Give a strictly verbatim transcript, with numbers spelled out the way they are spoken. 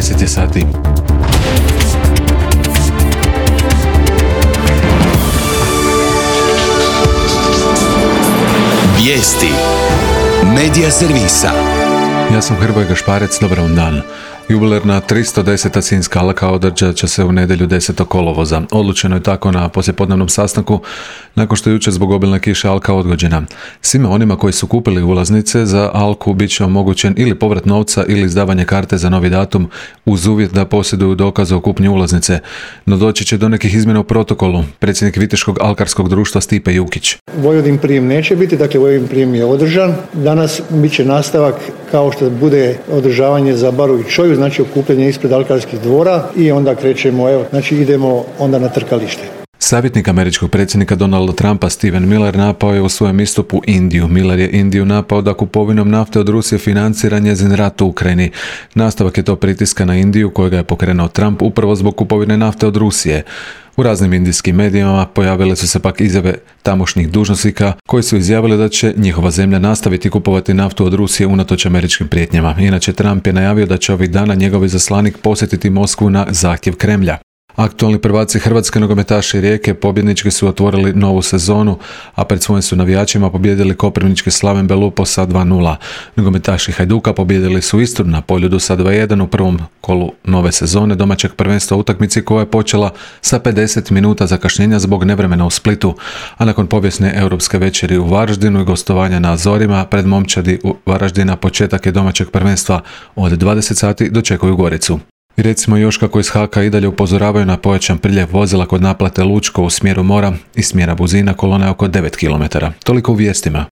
deset je sati. Vijesti Medija servisa. Ja sam Hrvoje Gašparec, dobar vam dan. Jubilarna tristo deseta Sinjska alka održat će se u nedjelju desetog kolovoza. Odlučeno je tako na poslijepodnevnom sastanku, nakon što je jučer zbog obilne kiše alka odgođena. Svima onima koji su kupili ulaznice za alku bit će omogućen ili povrat novca ili izdavanje karte za novi datum uz uvjet da posjeduju dokaze o kupnji ulaznice. No doći će do nekih izmjena u protokolu. Predsjednik Viteškog alkarskog društva Stipe Jukić. Vojvodin prijem neće biti, dakle Vojvodin prijem je održan. Danas bit će nastavak kao što bude održavanje za baru i čoju, znači okupljanje ispred alkarskih dvora i onda krećemo, evo, znači idemo onda na trkalište. Savjetnik američkog predsjednika Donalda Trumpa Stephen Miller napao je u svojem istupu Indiju. Miller je Indiju napao da kupovinom nafte od Rusije financira njezin rat u Ukrajini. Nastavak je to pritiska na Indiju kojega je pokrenuo Trump upravo zbog kupovine nafte od Rusije. U raznim indijskim medijima pojavile su se pak izjave tamošnjih dužnosnika koji su izjavili da će njihova zemlja nastaviti kupovati naftu od Rusije unatoč američkim prijetnjama. Inače, Trump je najavio da će ovih dana njegov izaslanik posjetiti Moskvu na zahtjev Kremlja. Aktualni prvaci hrvatske nogometaši Rijeke pobjednički su otvorili novu sezonu, a pred svojim su navijačima pobijedili koprivnički Slaven Belupo sa dva nula. Nogometaši Hajduka pobijedili su Istru na Poljudu sa dva jedan u prvom kolu nove sezone domaćeg prvenstva utakmici koja je počela sa pedeset minuta zakašnjenja zbog nevremena u Splitu, a nakon povijesne europske večeri u Varaždinu i gostovanja na Azorima pred momčadi u Varaždina početak je domaćeg prvenstva od dvadeset sati dočekuju Goricu. I recimo još kako iz Haka i dalje upozoravaju na pojačan priljev vozila kod naplate Lučko u smjeru Mora i smjera Buzina, kolona je oko devet kilometara. Toliko u vijestima.